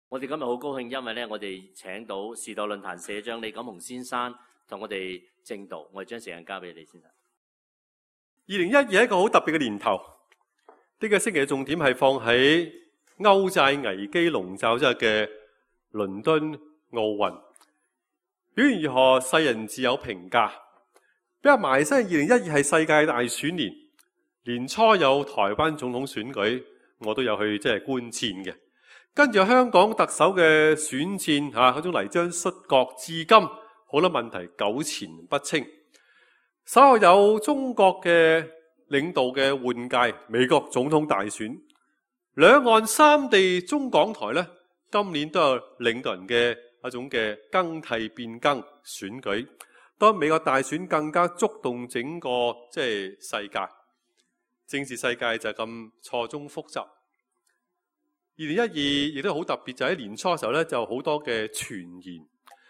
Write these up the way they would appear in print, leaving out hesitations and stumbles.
我哋今日好高興，因為咧，我哋請到時代論壇社長李錦洪先生同我哋證道。我哋將時間交俾李先生。2012係一個好特別嘅年頭，呢個星期嘅重點係放喺歐債危機籠罩之下嘅倫敦奧運。表現如何，世人自有評價。比較埋身，2012係世界大選年，年初有台灣總統選舉，我都有去觀戰嘅。跟住香港特首嘅選戰嗰種泥漿摔角，至今好多問題糾纏不清。稍後有中國嘅領導嘅換屆，美國總統大選，兩岸三地中港台呢，今年都有領導人嘅一種嘅更替變更選舉。當美國大選更加觸動整個世界，政治世界就咁錯綜複雜。2012亦都好特別，就喺年初嘅時候咧，就好多嘅傳言。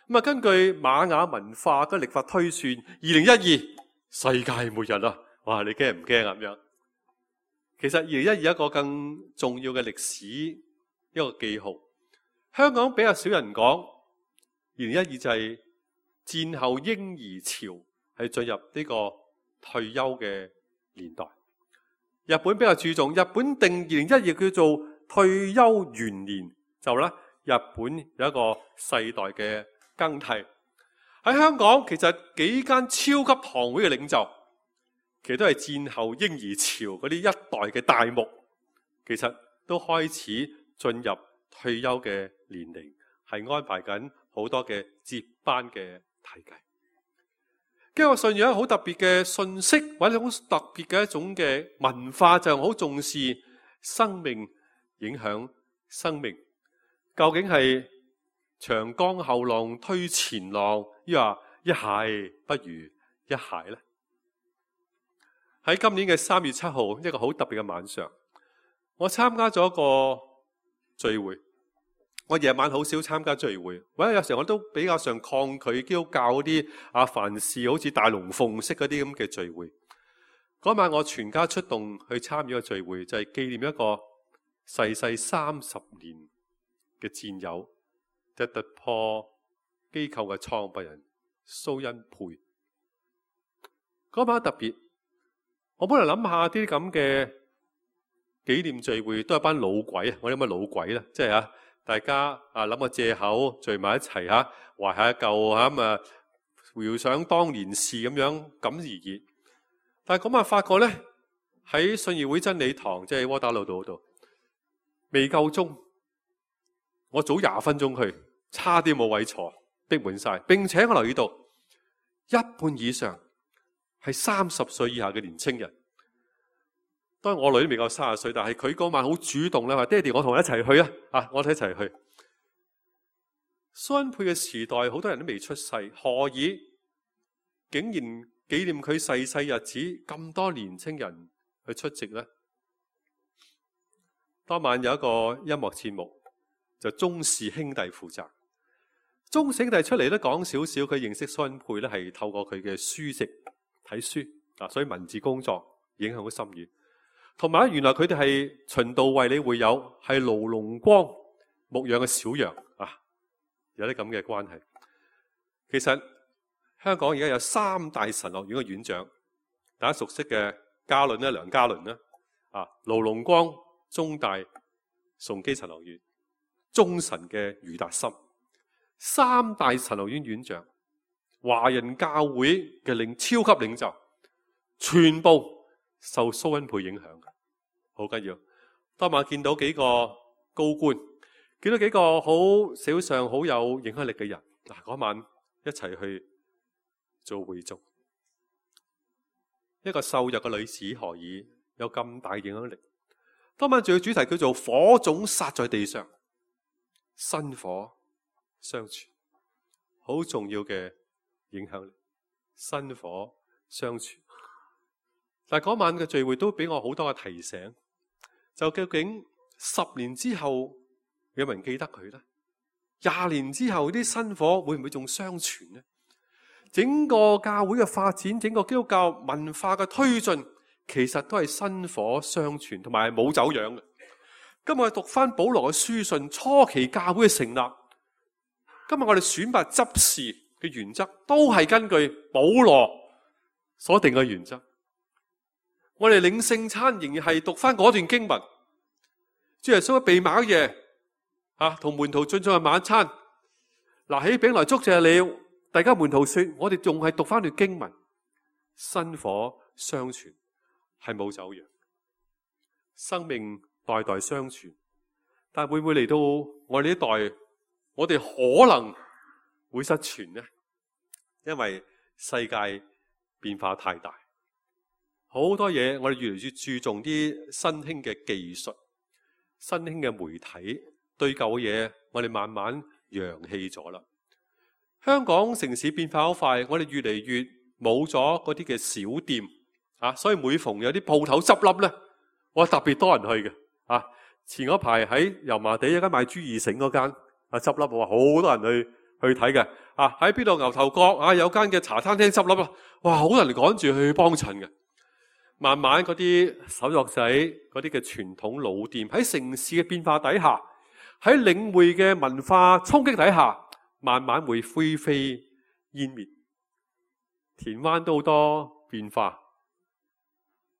咁啊，根據瑪雅文化嘅曆法推算，2012世界末日啦！哇，你驚唔驚啊？咁樣，其實2012一個更重要嘅歷史一個記號。香港比較少人講，2012就係戰後嬰兒潮係進入呢個退休嘅年代。日本比較注重，日本定2012叫做退休元年，就咧日本有一個世代嘅更替。喺香港，其實幾間超級堂會嘅領袖，其實都係戰後嬰兒潮嗰啲一代嘅大牧，其實都開始進入退休嘅年齡，係安排緊好多嘅接班嘅體系。基督信仰好特別嘅信息，或者好特別嘅一種嘅文化，就好重視生命影響生命。究竟係長江後浪推前浪，抑或一蟹不如一蟹呢？喺今年嘅3月7號，一個好特別嘅晚上，我參加咗一個聚會。我夜晚好少參加聚會，或者有時候我都比較上抗拒基督教嗰啲凡事好似大龍鳳式嗰啲咁嘅聚會。嗰晚我全家出動去參與個聚會，就係紀念一個逝世30年嘅戰友，就突破機構嘅創辦人蘇恩佩。嗰晚特別，我本來諗下啲咁嘅紀念聚會都係班老鬼啊！我諗乜老鬼啦，即係大家諗個借口聚埋一齊懷下舊咁啊，回想當年事咁樣咁而熱。但係嗰晚發覺咧，喺信義會真理堂，即係窩打老道嗰度，未夠鐘，我早20分鐘去，差啲冇位坐，逼滿晒。並且我留意到一半以上係30歲以下嘅年青人。當然我女都未夠30歲，但係佢嗰晚好主動咧，話爹哋我同你一齊去我哋一齊去。蘇恩佩嘅時代好多人都未出世，何以竟然紀念佢逝世日子咁多年青人去出席呢？當晚有一個音樂節目，就鍾氏兄弟負責。鍾氏兄弟出嚟都講少少，佢認識蘇恩佩咧係透過佢嘅書籍睇書所以文字工作影響好深遠。同埋原來佢哋係循道衛理會友，係盧龍光牧養嘅小羊有啲咁嘅關係。其實香港而家有3大神學院嘅院長，大家熟悉嘅嘉倫梁嘉倫盧龍光中大崇基神學院，中神嘅余達心，3大神學院院長，華人教會嘅超級領袖，全部受蘇恩佩影響嘅，好緊要。當晚見到幾個高官，見到幾個社會上好有影響力嘅人，嗰晚一齊去做會眾。一個瘦弱嘅女子何以有咁大影響力？當晚仲有主題叫做火種撒在地上，薪火相傳，好重要嘅影響力，薪火相傳。但係嗰晚嘅聚會都俾我好多嘅提醒，就究竟10年之後有冇人記得佢呢？20年之後啲薪火會唔會仲相傳呢？整個教會嘅發展，整個基督教文化嘅推進，其實都係薪火相傳，同埋冇走樣嘅。今日我哋讀翻保羅嘅書信，初期教會嘅成立。今日我哋選拔執事嘅原則，都係根據保羅所定嘅原則。我哋領聖餐仍然係讀翻嗰段經文。主耶穌被賣夜，同門徒進咗晚餐，拿起餅來祝謝了。大家門徒說，我哋仲係讀翻段經文，薪火相傳，係冇走樣，生命代代相傳。但會唔會嚟到我哋呢代，我哋可能會失傳呢？因為世界變化太大，好多嘢我哋越嚟越注重啲新興嘅技術、新興嘅媒體，對舊嘅嘢我哋慢慢揚棄咗啦。香港城市變化好快，我哋越嚟越冇咗嗰啲嘅小店所以每逢有啲鋪頭執笠咧，我特別多人去嘅前嗰排喺油麻地有間賣豬耳繩嗰間執笠，我話好多人去睇嘅喺邊度牛頭角有間嘅茶餐廳執笠啦，哇好多人趕住去幫襯嘅。慢慢嗰啲手作仔嗰啲嘅傳統老店喺城市嘅變化底下，喺領會嘅文化衝擊底下，慢慢會灰飛煙滅。田灣都好多變化，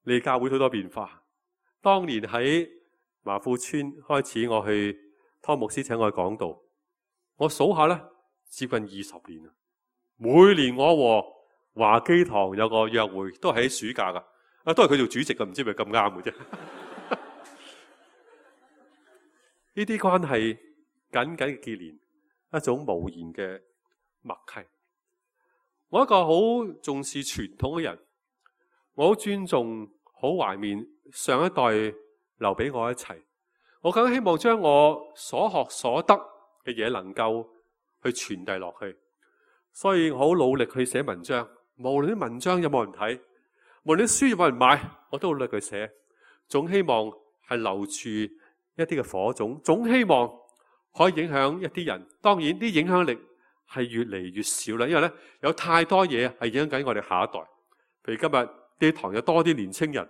你教會好多變化。當年喺麻富村開始，我去湯牧師請我去講道，我數下咧，接近20年啦。每年我和華基堂有個約會，都係喺暑假噶，都係佢做主席噶，唔知係咪咁啱嘅啫。呢啲關係緊緊嘅結連，一種無言嘅默契。我一個好重視傳統嘅人，我好尊重、好懷念上一代留俾我一齊。我更希望將我所學所得嘅嘢能夠去傳遞落去。所以我好努力去寫文章，無論啲文章有冇人睇，無論啲書有冇人買，我都好努力去寫。總希望係留住一啲嘅火種，總希望可以影響一啲人。當然啲影響力係越嚟越少啦，因為咧有太多嘢係影響緊我哋下一代。譬如今日啲堂有多啲年青人，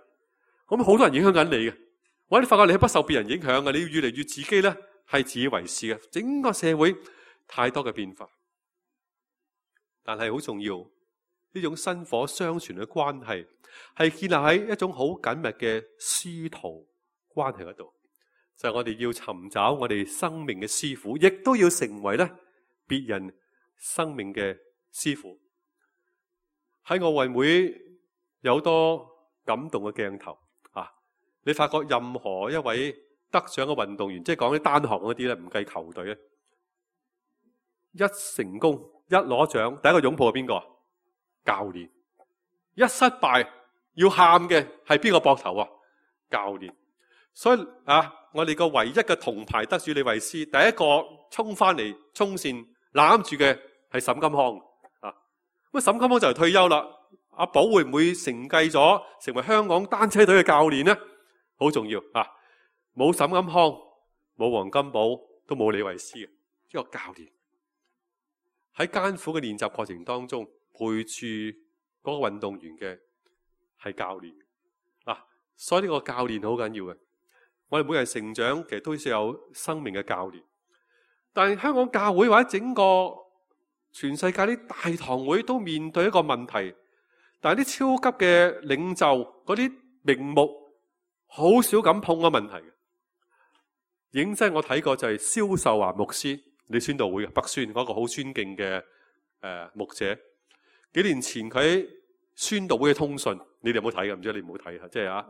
咁好多人影響緊你嘅。我哋發覺你係不受別人影響嘅，你要越嚟越自己咧係自以為是嘅。整個社會太多嘅變化，但係好重要，呢種薪火相傳嘅關係係建立喺一種好緊密嘅師徒關係嗰度。就係我哋要尋找我哋生命嘅師傅，亦都要成為咧別人生命嘅師傅。喺奧運會有好多感動嘅鏡頭你發覺任何一位得獎嘅運動員，即係講啲單項嗰啲咧，唔計球隊咧，一成功一攞獎，第一個擁抱係邊個？教練。一失敗要喊嘅係邊個膊頭啊？教練。所以我哋個唯一嘅銅牌得主李慧詩，第一個衝翻嚟衝線攬住嘅係沈金康咁沈金康就嚟退休啦。阿寶會唔會承繼咗成為香港單車隊嘅教練呢？好重要冇沈金康，冇黃金寶，都冇李慧詩嘅一個教練。喺艱苦嘅練習過程當中，陪住嗰個運動員嘅係教練所以呢個教練好緊要嘅。我哋每人成長其實都需要有生命嘅教練，但係香港教會或者整個全世界啲大堂會都面對一個問題，但係啲超級嘅領袖嗰啲名目好少咁碰個問題嘅。認真我睇過就係蕭秀華牧師，你宣道會嘅北宣嗰個好尊敬嘅牧者。幾年前佢喺宣道會嘅通訊，你哋有冇睇嘅？唔知你唔好睇即係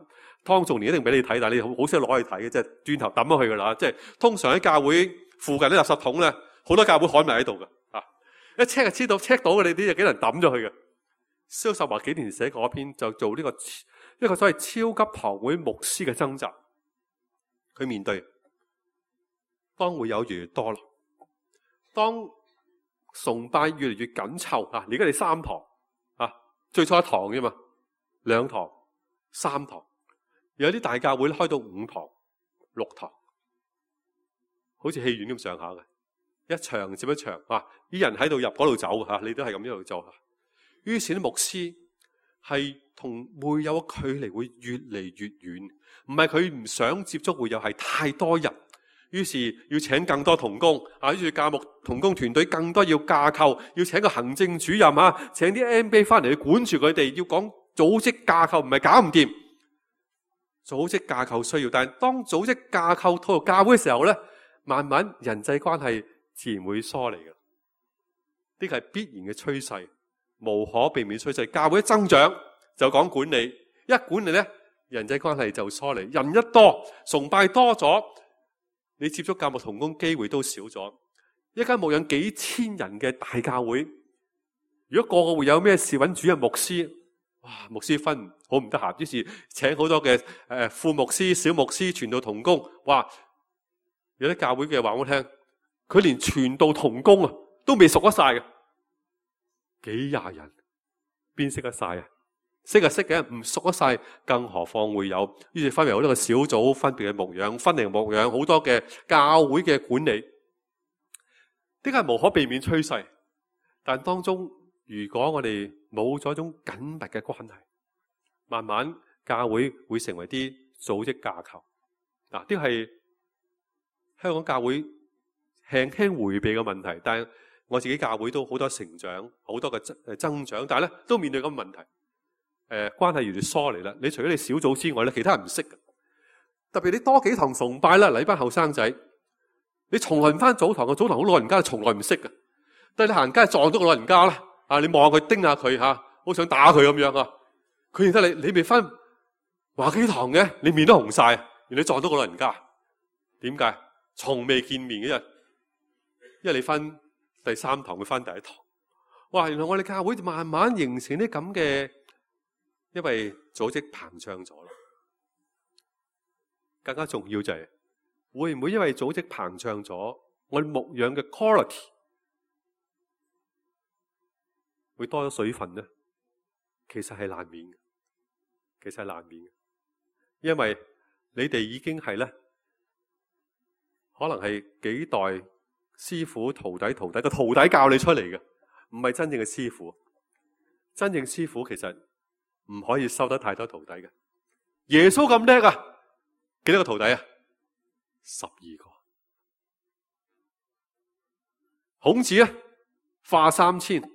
湯仲年一定俾你睇，但係你好少攞去睇嘅，即係轉頭抌咗去噶啦。即係通常喺教會附近啲垃圾桶咧，好多教會刊物喺度嘅一 check 就知道 check 到嘅，你啲就幾人抌咗去嘅。蕭秀華幾年寫過一篇，就做呢一個所謂超級堂會牧師嘅掙扎。佢面對當會有越嚟越多啦，當崇拜越嚟越緊湊而家你3堂最初1堂啫嘛，2堂、3堂，有啲大教會開到5堂、6堂，好似戲院咁上下嘅，一場接一場啲人喺度入嗰度走你都係咁一路做。於是啲牧師係同會友嘅距離會越嚟越遠，唔係佢唔想接觸會友，係太多人，於是要請更多同工啊，於是教牧同工團隊更多要架構，要請個行政主任啊，請啲 MBA 翻嚟去管住佢哋，要講組織架構，唔係搞唔掂。組織架構需要，但係當組織架構套入教會嘅時候咧，慢慢人際關係自然會疏離嘅，呢個係必然嘅趨勢，無可避免趨勢。教會一增長就講管理，一管理咧，人際關係就疏離。人一多，崇拜多咗，你接觸教牧同工機會都少咗。一間牧養幾千人嘅大教會，如果個個會有咩事揾主任牧師，哇！牧師分好唔得閒，於是請好多嘅副牧師、小牧師、傳道同工。哇！有啲教會嘅話我聽，佢連傳道同工啊都未熟得晒嘅，幾廿人邊識得晒啊？識啊識嘅，唔熟得晒，更何況會有。於是分為好多個小組，分別嘅牧養、分齡牧養，好多嘅教會嘅管理，呢個係無可避免趨勢。但當中，如果我哋冇咗一種緊密嘅關係，慢慢教會會成為啲組織架構。嗱，呢個係香港教會輕輕迴避嘅問題，但係我自己教會都好多成長，好多嘅增長，但係咧都面對咁嘅問題。關係越嚟越疏離啦。你除咗你小組之外咧，其他人唔識嘅。特別你多幾堂崇拜啦，嚟班後生仔，你從來唔翻早堂嘅，早堂好老人家從來唔識嘅。但係你行街撞到個老人家啦，啊，你望下佢，盯下佢吓，好想打佢咁樣啊。佢認得你未翻華幾堂嘅，你面都紅晒，原來你撞到個老人家。點解？從未見面嘅人，因為你翻第3堂，佢翻第1堂。哇！原來我哋教會就慢慢形成啲咁嘅，因為組織膨脹咗啦。更加重要就係會唔會因為組織膨脹咗，我哋牧養嘅 quality 會多咗水分呢？其實係難免嘅，其實係難免嘅，因為你哋已經係咧，可能係幾代師傅徒弟個徒弟教你出嚟嘅，唔係真正嘅師傅。真正師傅其實唔可以收得太多徒弟嘅。耶穌咁叻啊，幾多個徒弟啊？12個。孔子咧化3000，72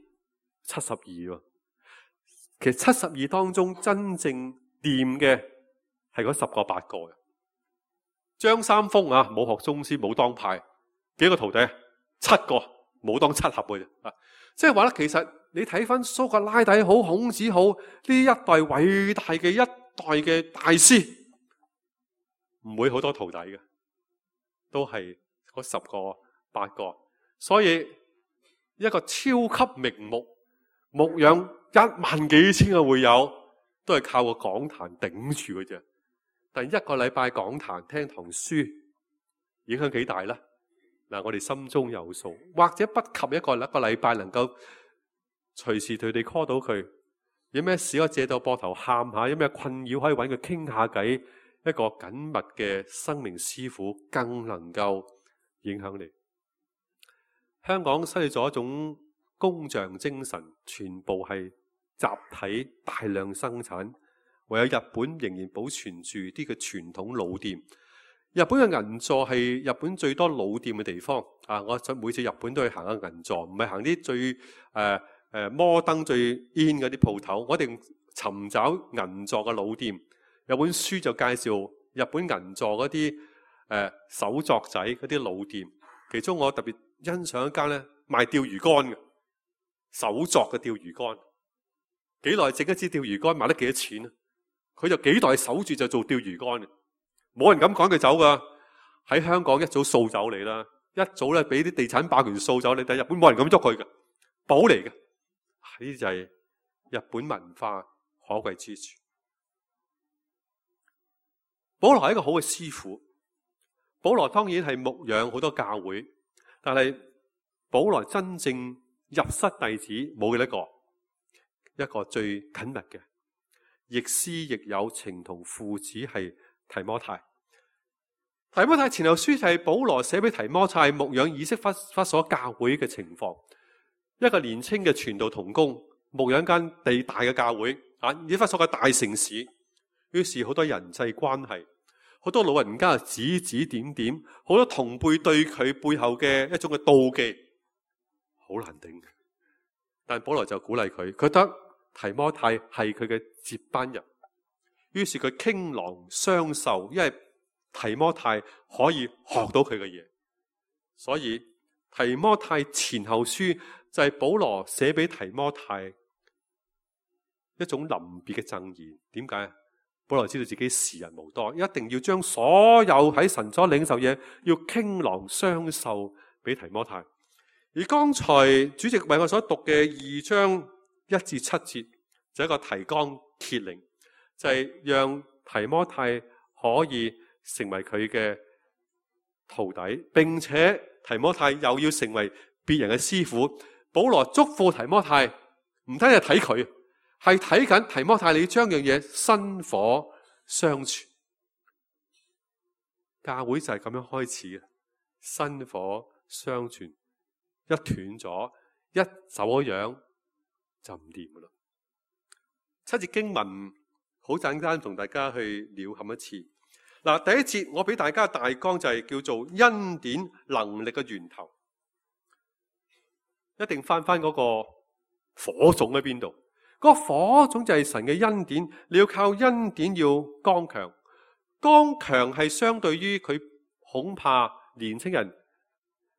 喎。其實72當中真正掂嘅係嗰10個8個嘅。張三豐啊，冇學宗師，冇當派，幾個徒弟？7個，冇當7合嘅啫。啊，即係話咧，其實你睇翻蘇格拉底好，孔子好，呢一代偉大嘅一代嘅大師，唔會好多徒弟嘅，都係嗰10個8個。所以一個超級名牧牧養1萬幾千個會友，都係靠個講壇頂住嘅啫。但一個禮拜講壇聽堂書，影響幾大呢？嗱，我哋心中有數，或者不及一個禮拜能夠隨時對你 call 到佢，有咩事可以借到膊頭喊下，有咩困擾可以揾佢傾下偈，一個緊密嘅生命師傅更能夠影響你。香港失去咗一種工匠精神，全部係集體大量生產，唯有日本仍然保存住啲嘅傳統老店。日本嘅銀座係日本最多老店嘅地方啊！我每次日本都去行下銀座，唔係行啲最摩登最 in 嗰啲鋪頭，我哋尋找銀座嘅老店。有本書就介紹日本銀座嗰啲手作仔嗰啲老店，其中我特別欣賞一間咧賣釣魚竿嘅手作嘅釣魚竿，幾耐整一支釣魚竿賣得幾多錢啊？佢就幾代守住就做釣魚竿嘅，冇人敢趕佢走噶。喺香港一早掃走你啦，一早咧俾啲地產霸權掃走你，但係日本冇人敢喐佢嘅，寶嚟嘅。呢啲就係日本文化可貴之處。保羅係一個好嘅師傅，保羅當然係牧養好多教會，但係保羅真正入室弟子冇幾多個，一個最緊密嘅，亦師亦友情同父子係提摩太。提摩太前後書就係保羅寫俾提摩太牧養以色弗所教會嘅情況。一個年輕嘅傳道同工牧養間地大嘅教會以弗所嘅大城市，於是好多人際關係，好多老人家指指點點，好多同輩對佢背後嘅一種嘅妒忌，好難頂。但保羅就鼓勵佢，覺得提摩太係佢嘅接班人，於是佢傾囊相授，因為提摩太可以學到佢嘅嘢，所以提摩太前後書就係保羅寫俾提摩太一種臨別嘅贈言。點解？保羅知道自己時日無多，一定要將所有喺神所領受嘢要傾囊相授俾提摩太。而剛才主席為我所讀嘅2章1至7節，就係一個提綱挈領，就係讓提摩太可以成為佢嘅徒弟，並且提摩太又要成為別人嘅師傅。保羅囑咐提摩太，唔單係睇佢，係睇緊提摩太，你將樣嘢薪火相傳。教會就係咁樣開始嘅，薪火相傳。一斷咗，一走咗樣就唔掂噶啦。7節經文好簡單，同大家去了冚一次。嗱，第一節我俾大家大綱就係叫做恩典能力嘅源頭，一定翻嗰個火種喺邊度？嗰個火種就係神嘅恩典，你要靠恩典要剛強。剛強係相對於佢恐怕年青人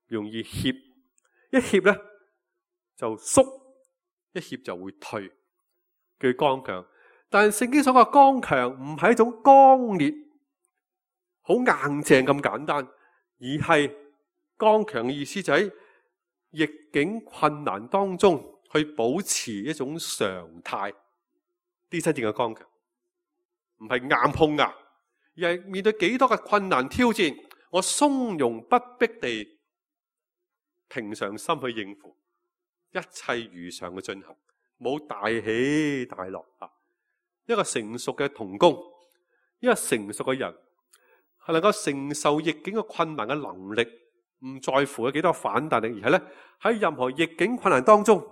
容易怯。一怯咧就縮，一怯就會退，叫剛強。但聖經所講嘅剛強唔係一種剛烈、好硬淨咁簡單，而係剛強嘅意思就喺逆境困難當中去保持一種常態。啲真正嘅剛強，唔係硬碰硬，而係面對幾多嘅困難挑戰，我從容不迫地平常心去應付，一切如常嘅進行，冇大起大落啊！一個成熟嘅同工，一個成熟嘅人，係能夠承受逆境嘅困難嘅能力，唔在乎有幾多反彈力，而係咧喺任何逆境困難當中，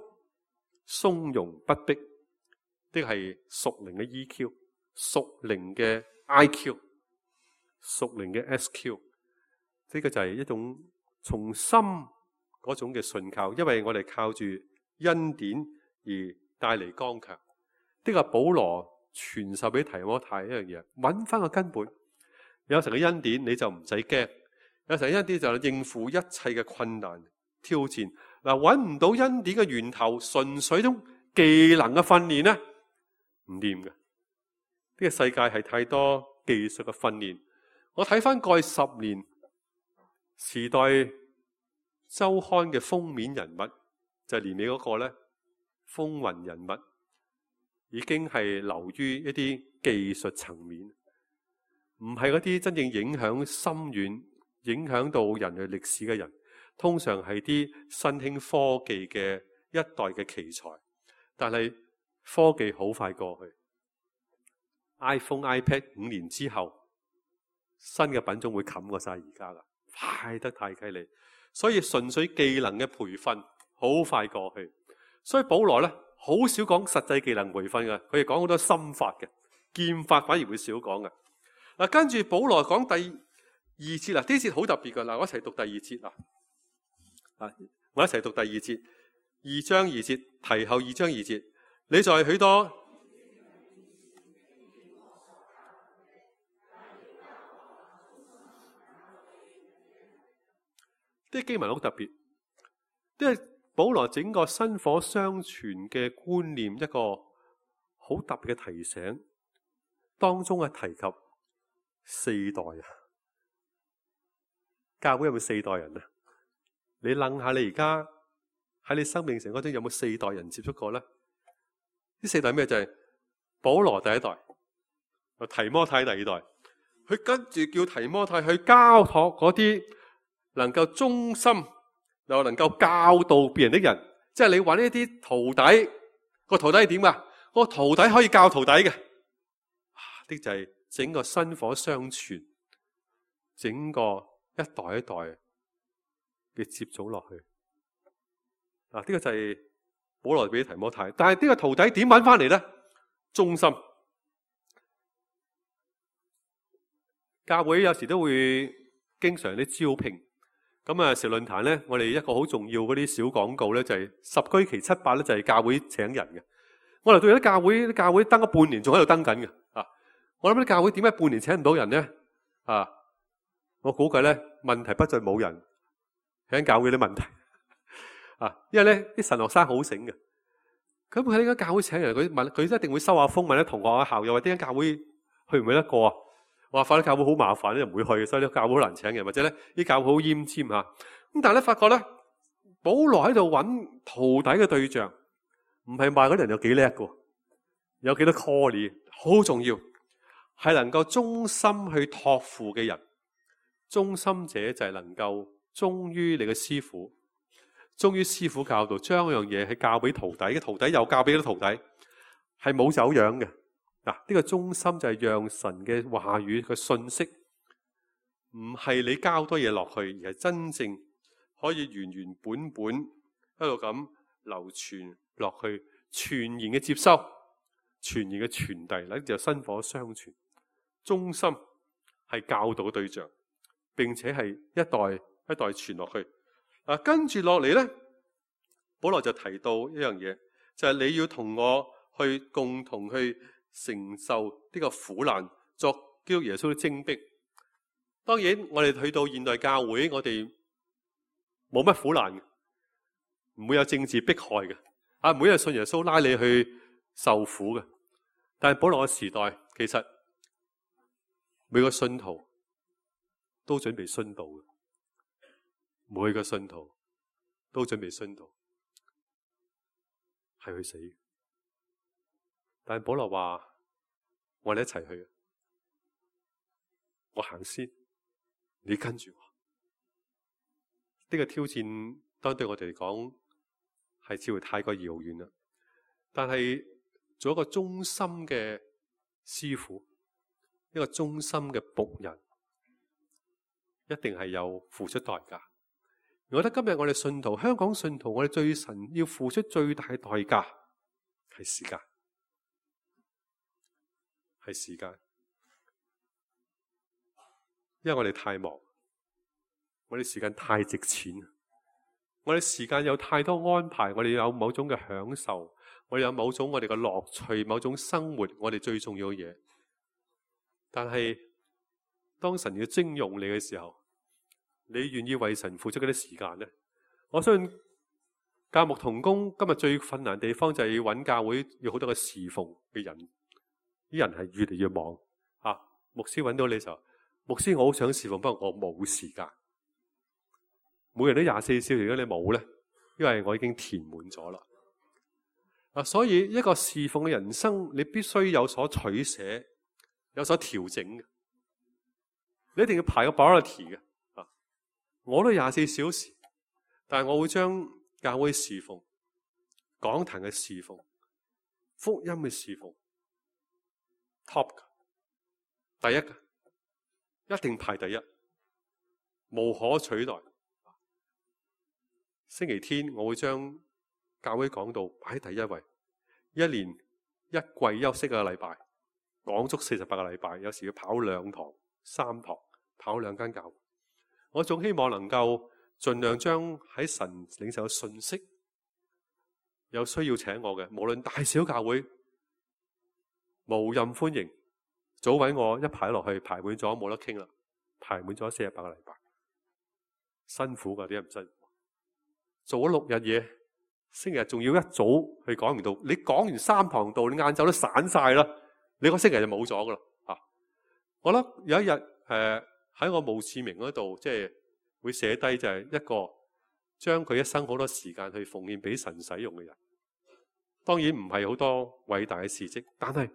從容不迫，呢個係屬靈嘅 EQ、屬靈嘅 IQ、屬靈嘅 SQ，呢個就係一種從心嗰種嘅信靠，因為我哋靠住恩典而帶嚟剛強。呢個保羅傳授俾提摩太一樣嘢，揾翻個根本。有神嘅恩典你就唔使驚，有神嘅恩典就應付一切嘅困難挑戰。嗱，揾唔到恩典嘅源頭，純粹種技能嘅訓練咧，唔掂嘅。呢個世界係太多技術嘅訓練。我睇翻過去10年時代周刊嘅封面人物，就係年尾嗰個咧，風雲人物已經係流於一啲技術層面，唔係嗰啲真正影響深遠、影響到人類歷史嘅人。通常係啲新興科技嘅一代嘅奇才，但係科技好快過去。iPhone、iPad 5年之後，新嘅品種會冚過晒而家啦，快得太犀利。所以純粹技能嘅培訓好快過去，所以保羅咧好少講實際技能培訓嘅，佢哋講好多心法嘅，劍法反而會少講嘅。嗱，跟住保羅講第2節啦，呢節好特別噶。嗱，我一齊讀第2節啦。我一齊讀第2節，2章2節，提後2章2節，你在許多啲經文好特別，因為保羅整個薪火相傳嘅觀念，一個好特別嘅提醒，當中係提及4代啊！教會有冇4代人啊？你諗下，你而家喺你生命成嗰陣有冇4代人接觸過咧？呢4代咩？就係保羅第一代，提摩太第2代，佢跟住叫提摩太去交託嗰啲能夠忠心又能夠教導別人的人，即係你揾呢啲徒弟，個徒弟係點噶？個徒弟可以教徒弟嘅，呢就係整個薪火相傳，整個一代一代嘅接續落去。呢個就係保羅俾提摩太，但係呢個徒弟點揾翻嚟咧？忠心。教會有時都會經常啲招聘，咁啊，時論壇咧，我哋一個好重要嗰啲小廣告咧，就係十居其七八咧，就係教會請人嘅。我嚟到有啲教會登咗半年，仲喺度登緊嘅啊！我諗啲教會點解半年請唔到人咧？啊，我估計咧，問題不在冇人，喺教會啲問題啊，因為咧啲神學生好醒嘅，咁佢喺間教會請人，佢一定會收下風問啲同學啊校友話點解教會去唔去得過啊？我話反正教會好麻煩咧，唔會去，所以啲教會好難請人，或者咧啲教會好奄尖嚇。咁但係咧發覺咧，保羅喺度揾徒弟嘅對象，唔係話嗰啲人有幾叻嘅，有幾多 call， 好重要，係能夠忠心去託付嘅人。忠心者就係能夠忠於你嘅師傅，忠於師傅教導，將嗰樣嘢係教俾徒弟嘅，徒弟又教俾啲徒弟，係冇走樣嘅。嗱，呢個忠心就係讓神嘅話語嘅信息，唔係你交多嘢落去，而係真正可以原原本本一路咁流傳落去，全然嘅接收，全然嘅傳遞，呢就薪火相傳。忠心係教導嘅對象，並且係一代一代傳落去。跟住落嚟咧，保羅就提到一樣嘢，就係你要同我去共同去承受呢個苦難，作基督耶穌嘅精兵。當然，我哋去到現代教會，我哋冇乜苦難嘅，唔會有政治迫害嘅，唔會有信耶穌拉你去受苦嘅。但係保羅嘅時代，其實每個信徒都準備殉道嘅，每個信徒都準備殉道，係去死嘅。但係保羅話：我哋一齊去，我行先，你跟住我。呢個挑戰當然對我哋嚟講係似乎太過遙遠啦。但係做一個忠心嘅師傅，一個忠心嘅僕人，一定係有付出代價。我覺得今日我哋信徒，香港信徒，我哋最神要付出最大嘅代價係時間。係時間，因為我哋太忙，我哋時間太值錢，我哋時間有太多安排，我哋有某種嘅享受，我哋有某種我哋嘅樂趣，某種生活，我哋最重要嘅嘢。但係當神要徵用你嘅時候，你願意為神付出嗰啲時間呢？我相信教牧同工今日最困難的地方就係要揾教會要好多個侍奉嘅人。啲人係越嚟越忙啊！牧師揾到你就，牧師我好想侍奉，不過我冇時間。每人都24小時，如果你冇咧，因為我已經填滿咗啦。所以一個侍奉嘅人生，你必須有所取捨，有所調整嘅。你一定要排個 priority 嘅。我都24小時，但係我會將教會侍奉、講壇嘅侍奉、福音嘅侍奉。top 第一嘅，一定排第一，無可取代。星期天我會將教會講道擺喺第一位，一年一季休息個禮拜，講足48個禮拜，有時要跑2堂、3堂，跑2間教會。我總希望能夠盡量將喺神領受嘅信息，有需要請我嘅，無論大小教會，無任歡迎，早搵我一排落去，排滿咗冇得傾啦，排滿咗48個禮拜，辛苦噶啲人唔辛苦，做咗6日嘢，星期日仲要一早去講完道，你講完3堂道，你晏晝都散晒啦，你個星期日就冇咗噶啦吓。我諗有一日喺我墓誌銘嗰度，即係會寫低就係一個將佢一生好多時間去奉獻俾神使用嘅人。當然唔係好多偉大嘅事蹟，但係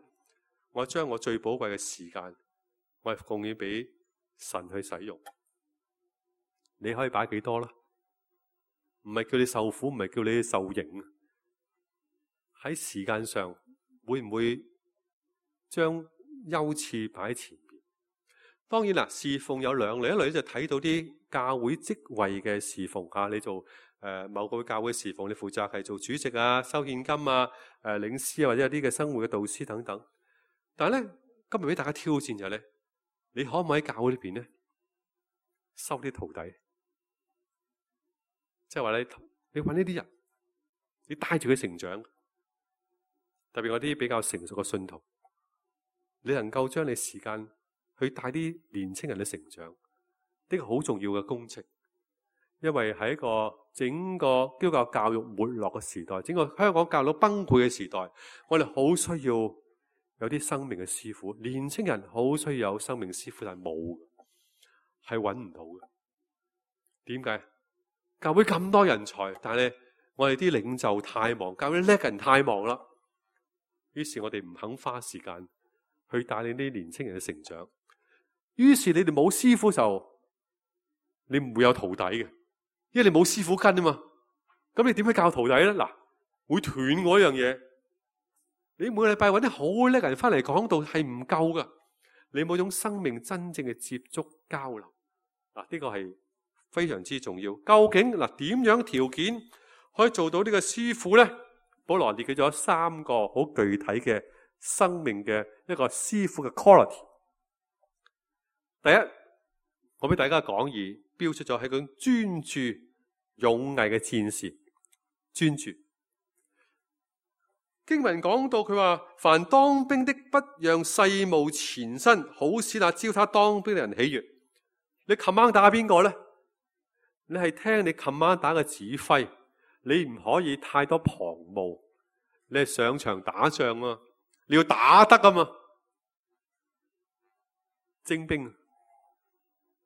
我將我最寶貴嘅時間，我係貢獻俾神去使用。你可以擺幾多啦？唔係叫你受苦，唔係叫你受刑。喺時間上，會唔會將優次擺喺前面？當然啦，侍奉有兩類，一類就睇到啲教會職位嘅侍奉嚇，你做某個教會侍奉，你負責係做主席啊、收獻金啊、領詩啊，或者有啲嘅生活嘅導師等等。但係咧，今日俾大家挑戰就係咧，你可唔可以喺教會裏邊咧收啲徒弟？即係話你揾呢啲人，你帶住佢成長，特別我啲比較成熟嘅信徒，你能夠將你時間去帶啲年青人嘅成長，呢個好重要嘅工程。因為喺一個整個基督教教育沒落嘅時代，整個香港教育崩潰嘅時代，我哋好需要有啲生命嘅師傅。年青人好需要有生命師傅，但係冇，係揾唔到嘅。點解？教會咁多人才，但係我哋啲領袖太忙，教會叻人太忙啦。於是我哋唔肯花時間去帶領啲年青人嘅成長。於是你哋冇師傅就，你唔會有徒弟嘅。因為你冇師傅跟啊嘛，咁你點去教徒弟咧？嗱，會斷嗰樣嘢。你每個禮拜揾啲好叻人翻嚟講道係唔夠噶，你冇種生命真正嘅接觸交流，嗱，呢個係非常之重要。究竟嗱點樣條件可以做到呢個師傅咧？保羅列舉咗3個好具體嘅生命嘅一個師傅嘅 quality。第一，我俾大家講義標出咗係佢專注勇毅嘅戰士，專注。經文講到佢話，凡當兵的不讓世務纏身，好使那招他當兵的人喜悅。你 command 打邊個咧？你係聽你 command 打嘅指揮，你唔可以太多旁務。你係上場打仗啊，你要打得啊嘛。精兵，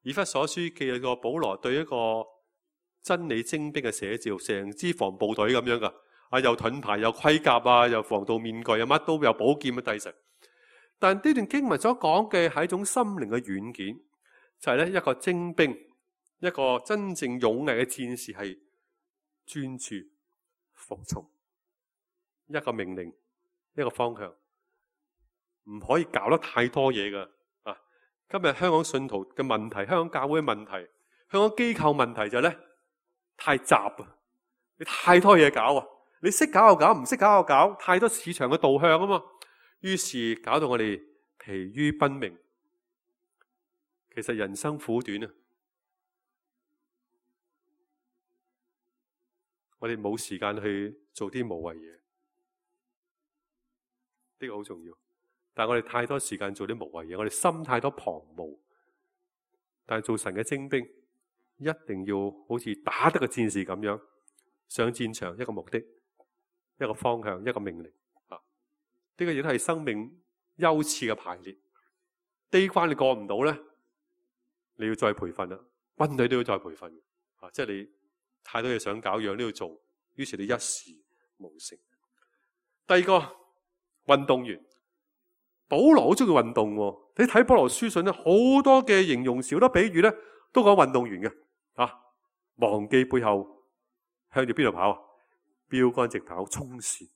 以弗所書記咗個保羅對一個真理精兵嘅寫照，成支防部隊咁樣噶，又盾牌，又盔甲啊，又防盜面具，又乜都有寶劍嘅帝神。但呢段經文所講嘅係一種心靈嘅軟件，就係咧一個精兵，一個真正勇毅嘅戰士係專注服從一個命令，一個方向，唔可以搞得太多嘢噶。今日香港信徒嘅問題，香港教會嘅問題，香港機構問題就係咧太雜啊！你太多嘢搞啊！你識搞就搞，唔識搞就搞，太多市場嘅導向啊嘛。於是搞到我哋疲於奔命。其實人生苦短啊！我哋冇時間去做啲無謂嘢，呢個好重要。但係我哋太多時間做啲無謂嘢，我哋心太多旁騖。但係做神嘅精兵，一定要好似打得個戰士咁樣上戰場，一個目的，一個方向，一個命令。呢個亦都係生命優次嘅排列。呢關你過唔到咧，你要再培訓啦。軍隊都要再培訓。即係你太多嘢想搞，樣都要做，於是你一事無成。第二個運動員。保羅好中意運動喎，你睇保羅書信咧，好多嘅形容詞，好多比喻咧，都講運動員嘅。忘記背後，向住邊度跑？標竿直跑，衝線。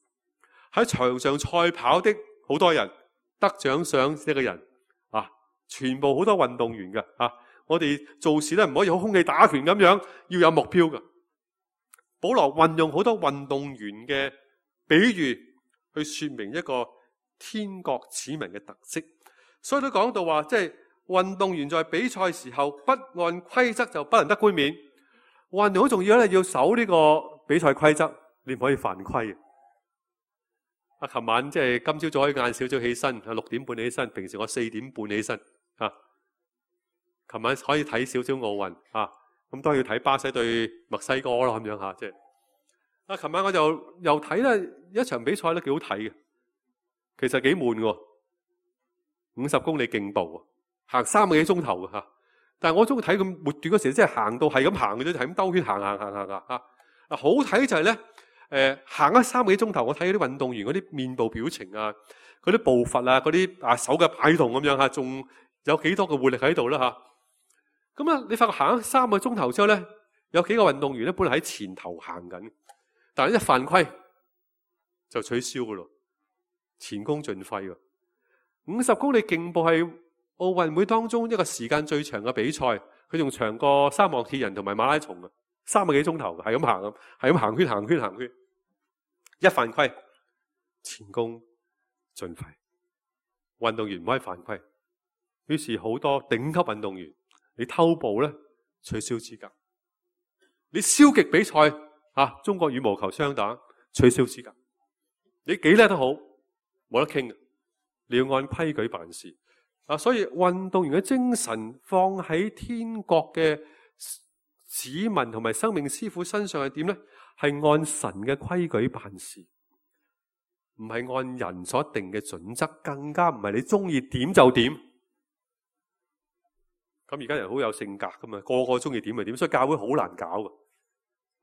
喺場上賽跑的好多人，得獎賞一個人。全部好多運動員嘅。我哋做事咧唔可以好空氣打拳咁樣，要有目標嘅。保羅運用好多運動員嘅比喻去說明一個天國子民嘅特色，所以都講到話，即係運動員在比賽時候不按規則就不能得冠冕。運動好重要咧，要守呢個比賽規則，你唔可以犯規。琴晚即係今朝早可以晏少少起身，6點半起身，平時我4點半起身。琴晚可以睇少少奧運，咁當然要睇巴西對墨西哥咯，咁樣吓，即係。琴晚我就又睇咧一場比賽咧，幾好睇嘅。其實幾悶喎，50公里競步，行3個幾鐘頭嘅。但係我中意睇佢末段嗰時，即係行到係咁行嘅啫，係咁兜圈行。好睇就係咧，行咗3個幾鐘頭，我睇嗰啲運動員嗰啲面部表情啊，嗰啲步伐啊，嗰啲手嘅擺動咁樣吓，仲有幾多嘅活力喺度啦吓。咁啊，你發覺行咗3個鐘頭之後咧，有幾個運動員咧本來喺前頭行緊，但係一犯規就取消噶咯。前功盡廢喎！50公里競步係奧運會當中一個時間最長嘅比賽，佢仲長過三項鐵人同埋馬拉松啊，3個幾鐘頭，係咁行咁，係咁行圈行圈行圈。一犯規，前功盡廢。運動員唔可以犯規，於是好多頂級運動員，你偷步咧取消資格，你消極比賽中國羽毛球雙打取消資格，你幾叻都好，冇得傾嘅，你要按規矩辦事。所以運動員嘅精神放喺天國嘅子民同埋生命師傅身上係點咧？係按神嘅規矩辦事，唔係按人所定嘅準則，更加唔係你中意點就點。咁而家人好有性格噶嘛，個個中意點就點，所以教會好難搞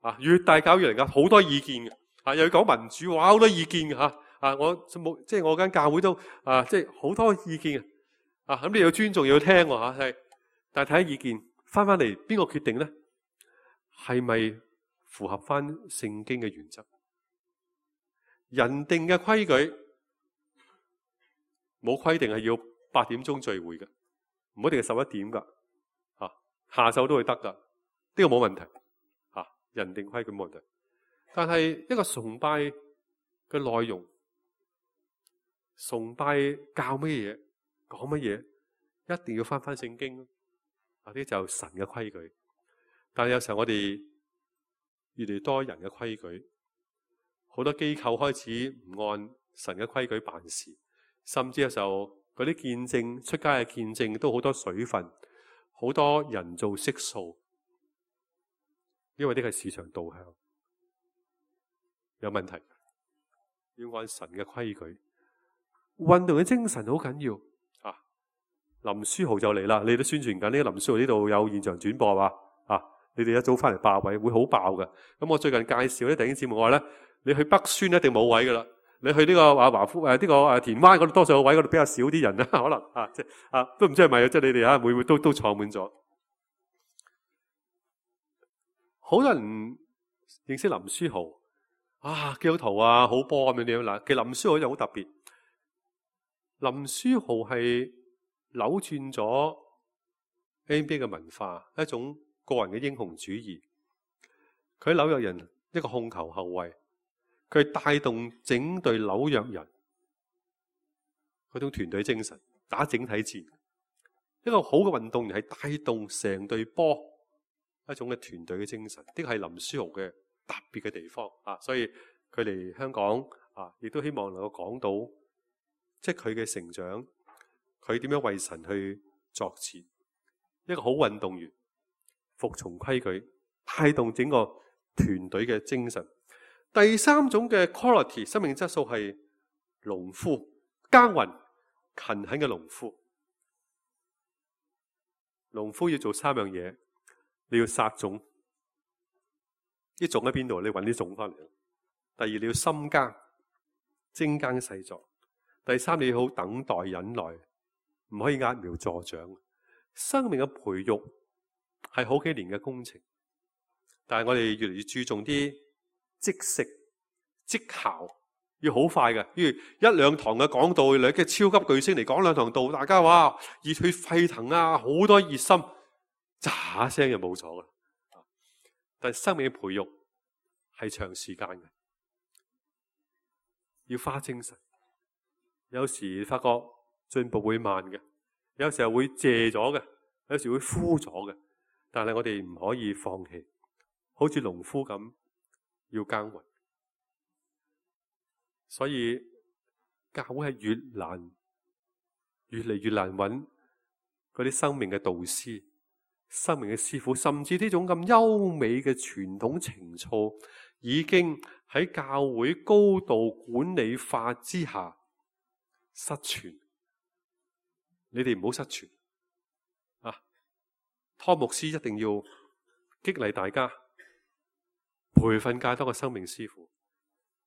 噶。越大教越嚟噶，好多意見嘅。又要講民主，哇，好多意見嘅吓。我冇，即係我間教會都即係好多意見嘅。咁你要尊重，要聽喎吓，係。但係睇下意見，翻嚟邊個決定咧？係咪符合翻聖經嘅原則？人定嘅規矩冇規定係要8點鐘聚會嘅，唔一定係11點噶，下晝都會得噶，呢個冇問題，人定規矩冇問題。但係一個崇拜嘅內容，崇拜教乜嘢，講乜嘢，一定要翻聖經，呢啲就神嘅規矩。但係有時候我哋越嚟越多人嘅規矩。好多機構開始唔按神嘅規矩辦事，甚至有時候嗰啲見證出街嘅見證都好多水分，好多人造色素，因為呢個係市場導向，有問題。要按神嘅規矩，運動嘅精神好緊要林書豪就嚟啦，你都宣傳緊呢個林書豪呢度有現場轉播嘛？你哋一早翻嚟霸位，會好爆㗎。咁我最近介紹啲弟兄姊妹話咧，你去北宣一定冇位噶啦，你去呢個華富呢個田灣嗰度多數有位，嗰度比較少啲人啦，可能即係都唔知係咪即係你哋會唔會都坐滿咗？好多人認識林書豪基督徒好波咁樣嗱。其實林書豪又好特別，林書豪係扭轉咗 NBA 嘅文化，一種個人嘅英雄主義。佢喺紐約人一個控球後衛，佢帶動整隊紐約人嗰種團隊精神，打整體戰。一個好嘅運動員係帶動成隊波一種嘅團隊嘅精神，呢個係林書豪嘅特別嘅地方所以佢嚟香港亦都希望能夠講到，即係佢嘅成長，佢點樣為神去作戰。一個好運動員服從規矩，帶動整個團隊嘅精神。第三種嘅 quality 生命質素係農夫，耕耘勤懇嘅農夫。農夫要做3樣嘢，你要撒種，啲種喺邊度？你搵啲種翻嚟。第二，你要深耕，精耕細作。第三，你要好等待忍耐，唔可以揠苗助長。生命嘅培育係好幾年嘅工程，但係我哋越嚟越注重啲即食即效，要好快嘅。譬如1-2堂嘅講道，你嘅超級巨星嚟講2堂道，大家話熱血沸騰好多熱心，喳聲就冇咗啦。但係生命嘅培育係長時間嘅，要花精神。有時發覺進步會慢嘅，有時候會謝咗嘅，有時會枯咗嘅。但係我哋唔可以放棄，好似農夫咁要耕耘。所以教會係越嚟越難揾嗰啲生命嘅導師、生命嘅師傅，甚至呢種咁優美嘅傳統情操，已經喺教會高度管理化之下失傳。你哋唔好失傳湯牧師一定要激勵大家，培訓更多嘅生命師傅，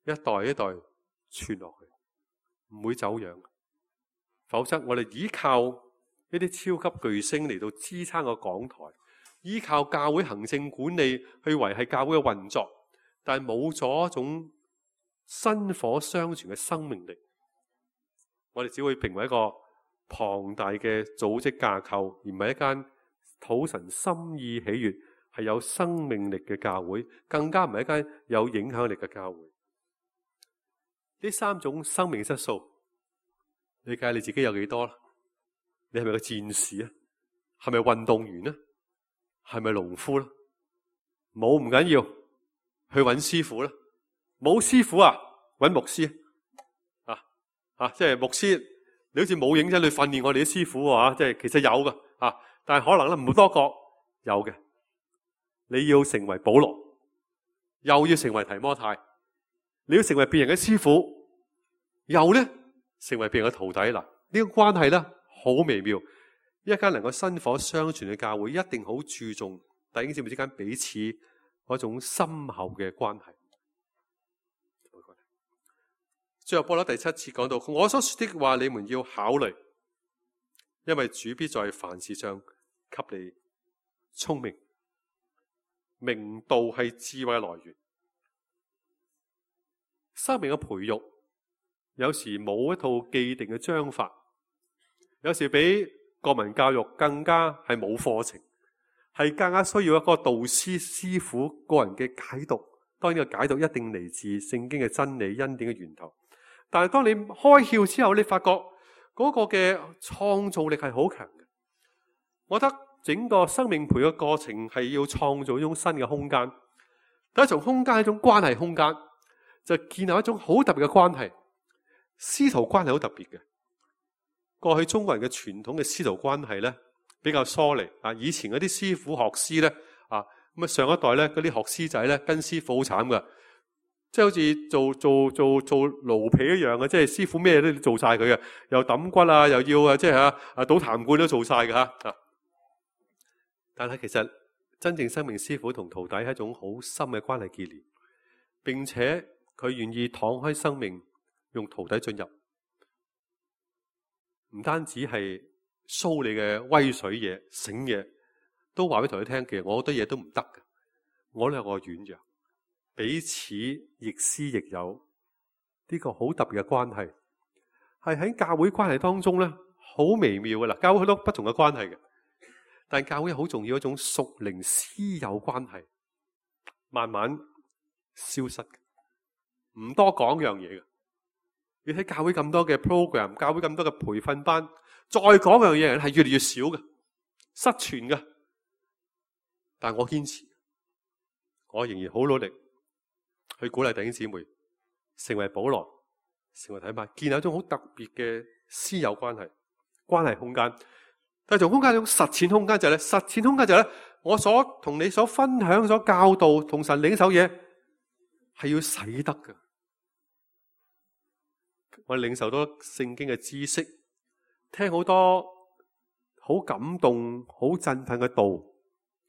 一代一代傳落去，唔會走樣。否則我哋依靠一啲超級巨星嚟到支撐個講台，依靠教會行政管理去維繫教會嘅運作，但係冇咗一種薪火相傳嘅生命力，我哋只會成為一個龐大嘅組織架構，而唔係一間討神心意喜悅，係有生命力嘅教會，更加唔係一間有影響力嘅教會。呢三種生命質素，你計你自己有幾多啦？你係咪個戰士啊？係咪運動員啊？係咪農夫啦？冇唔緊要，去揾師傅啦。冇師傅啊，揾牧師即係牧師，你好似冇認真去訓練我哋啲師傅啊，即係其實有噶但係可能咧唔多覺有嘅。你要成為保羅，又要成為提摩太，你要成為別人嘅師傅，又咧成為別人嘅徒弟啦。呢個關係咧好微妙。一間能夠薪火相傳嘅教會，一定好注重弟兄姊妹之間彼此嗰種深厚嘅關係。最後保羅第7節講到，我所說的話你們要考慮，因為主必在凡事上給你聰明。明道係智慧嘅來源。生命嘅培育有時冇一套既定嘅章法，有時比國民教育更加係冇課程，係更加需要一個導師師傅個人嘅解讀。當然呢個解讀一定嚟自聖經嘅真理恩典嘅源頭，但係當你開竅之後，你發覺嗰個嘅創造力係好強嘅。我覺得整個生命培育嘅過程係要創造一種新嘅空間。第一種空間係一種關係空間，就建立一種好特別嘅關係。師徒關係好特別嘅。過去中國人嘅傳統嘅師徒關係咧比較疏離以前嗰啲師傅學師咧咁啊上一代咧嗰啲學師仔咧跟師傅好慘噶，即係好似做奴婢一樣嘅，即係師傅咩都做晒佢嘅，又揼骨啊，又要即係倒痰罐都做晒嘅吓。但係其實真正生命師傅同徒弟係一種好深嘅關係結連，並且佢願意敞開生命，用徒弟進入，唔單止係 show 你嘅威水嘢、醒嘢，都話俾徒弟聽，其實我好多嘢都唔得嘅，我都有個軟弱，彼此亦師亦友，呢個好特別嘅關係，係喺教會關係當中咧，好微妙嘅啦。教會好多不同嘅關係嘅。但教會好重要一種屬靈師友關係，慢慢消失嘅，唔多講樣嘢嘅。你睇教會咁多嘅 program， 教會咁多嘅培訓班，再講樣嘢人係越嚟越少嘅，失傳嘅。但我堅持，我仍然好努力去鼓勵弟兄姊妹成為保羅，成為提摩太，建立一種好特別嘅師友關係空間。但係從空間一種實踐空間就係咧，實踐空間就係咧，我所同你所分享、所教導、同神領受嘢係要使得嘅。我領受多聖經嘅知識，聽好多好感動、好振奮嘅道，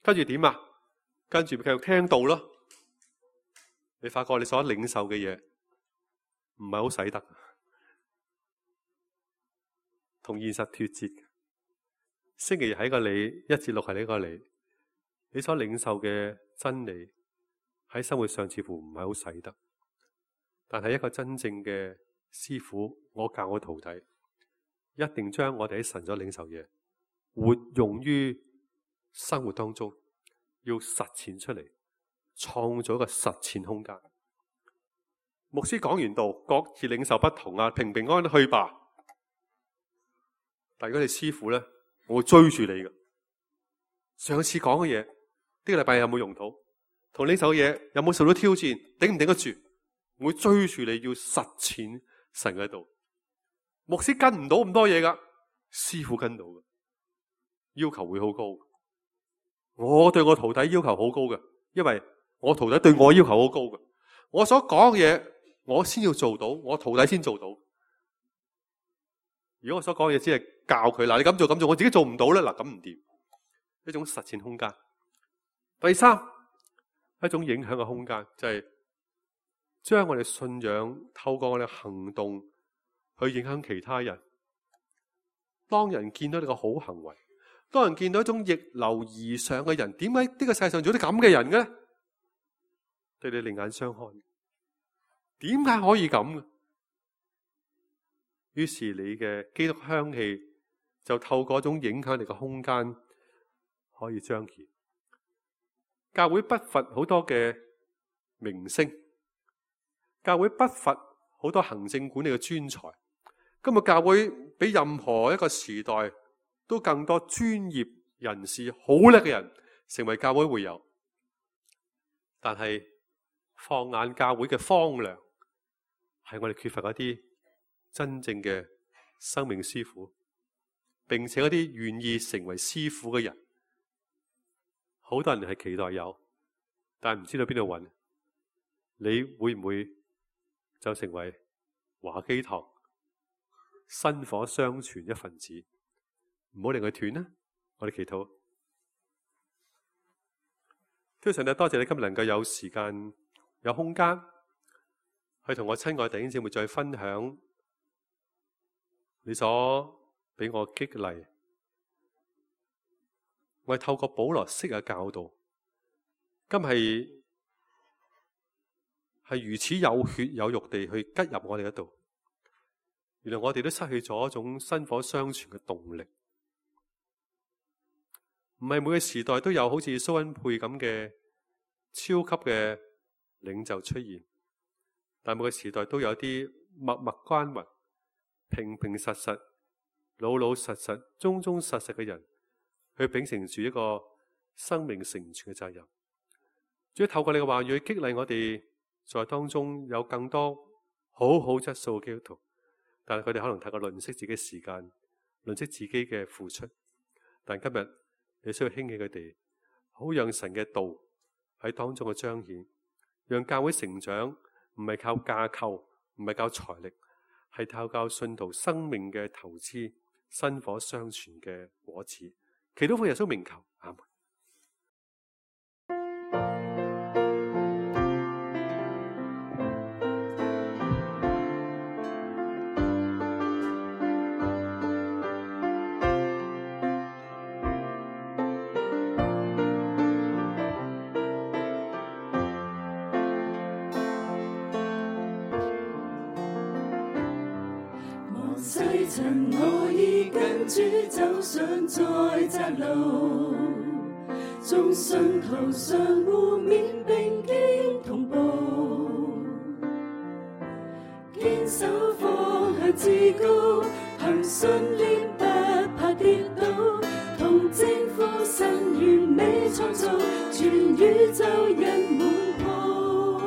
跟住點啊？跟住繼續聽道咯。你發覺你所領受嘅嘢唔係好使得，同現實脫節。星期日係一個你，1至6係呢個你，你所領受嘅真理喺生活上似乎唔係好使得，但係一個真正嘅師傅，我教我徒弟，一定將我哋喺神所領受嘢活用於生活當中，要實踐出嚟，創造一個實踐空間。牧師講完道，各自領受不同平平安安去吧。但如果你師傅咧，我會追住你嘅。上次講嘅嘢，呢個禮拜有冇用到？同領受嘅嘢有冇受到挑戰？頂唔頂得住？我會追住你要實踐神嘅道。牧師跟唔到咁多嘢噶，師傅跟到嘅，要求會好高。我對我徒弟要求好高嘅，因為我徒弟對我要求好高嘅。我所講嘅嘢，我先要做到，我徒弟先做到。如果我所講嘅嘢只係教佢，嗱，你咁做，我自己做唔到咧，嗱，咁唔掂。一種實踐空間。第三，一種影響嘅空間，就係將我哋信仰透過我哋行動去影響其他人。當人見到你個好行為，當人見到一種逆流而上嘅人，點解呢個世界上做啲咁嘅人嘅咧？對你另眼相看，點解可以咁嘅？於是你嘅基督香氣就透過一種影響力嘅空間可以彰顯。教會不乏好多嘅明星，教會不乏好多行政管理嘅專才。今日教會比任何一個時代都更多專業人士、好叻嘅人成為教會會友。但係放眼教會嘅荒涼，係我哋缺乏一啲真正嘅生命師傅，並且一啲願意成為師傅嘅人。好多人係期待有，但係唔知道邊度揾。你會唔會就成為華基堂薪火相傳一份子？唔好令佢斷啦！我哋祈禱。天父上帝，多謝你今日能夠有時間、有空間去同我親愛弟兄姊妹再分享你所俾我激勵。我係透過保羅式嘅教導，今係如此有血有肉地去吉入我哋嗰度。原來我哋都失去咗一種薪火相傳嘅動力。唔係每個時代都有好似蘇恩佩咁嘅超級嘅領袖出現，但每個時代都有啲默默耕耘、平平實實、老老實實、忠忠實實嘅人，去秉承住一個生命成全嘅責任。主要透過你嘅話語去激勵我哋，在當中有更多好好質素嘅基督徒，但係佢哋可能太過吝嗇自己時間，吝嗇自己嘅付出。但今日你需要興起佢哋，好讓神嘅道喺當中嘅彰顯，讓教會成長唔係靠架構，唔係靠財力，係靠信徒生命嘅投資，薪火相傳嘅果子。祈禱奉耶穌名求，阿門。世塵我已跟主走上在窄路，眾信徒相互勉並肩同步，堅守方向至高，憑信念不怕跌倒，同征服神完美創造，全宇宙人滿鋪，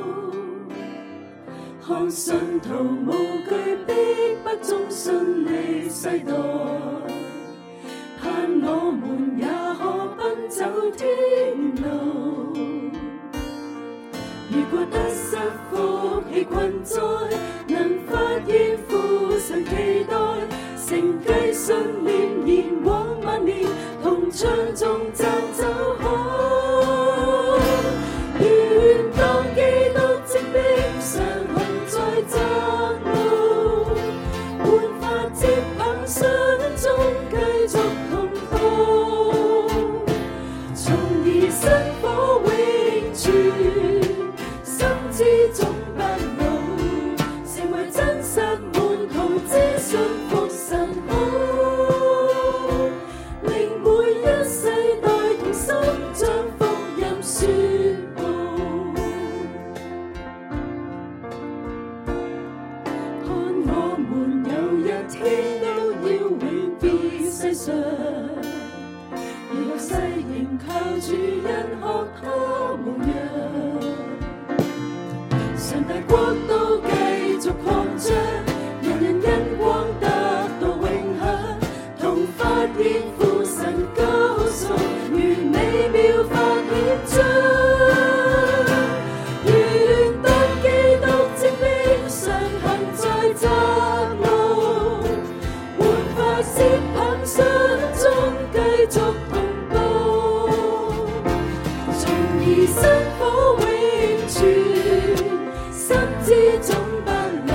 看信徒無懼逼迫中順利世代，盼我們也可奔走天路。如果得失福氣困災，能發現父神期待，承繼信念延往萬年，同唱頌讚走開。願當基督精兵常行在窄路，煥發接棒信中繼續同步，從而薪火永存，心之總不老，成為真實門徒之信服神好，令每一世代同心將福音宣佈。看我們有一天都要永別世上，如世仍靠主恩學他模樣，上帝國度繼續擴張，人人因光得到永享，同發現父神高崇，如美妙發顯彰。願當基督精兵常行在窄路，煥發接棒信中繼續同步，從而薪火永存，心之總不老，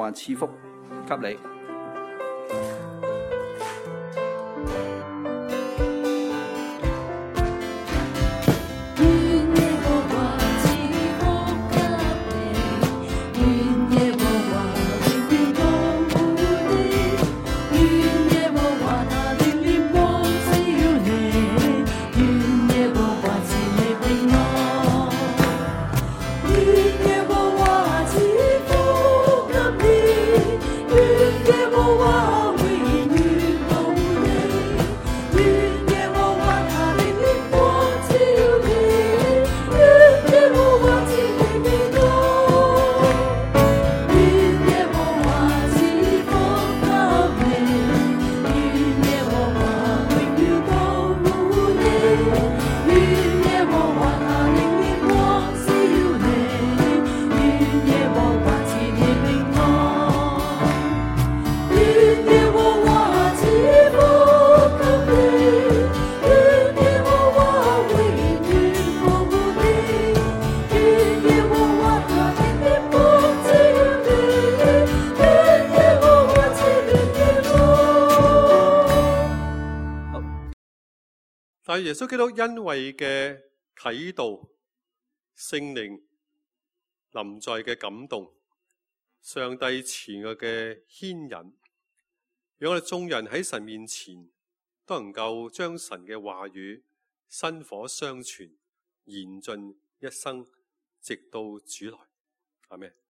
華賜福給你。但係耶穌基督恩惠嘅啟導、聖靈臨在嘅感動、上帝慈愛嘅牽引，讓我哋眾人喺神面前都能夠將神嘅話語薪火相傳，延盡一生，直到主來。阿們。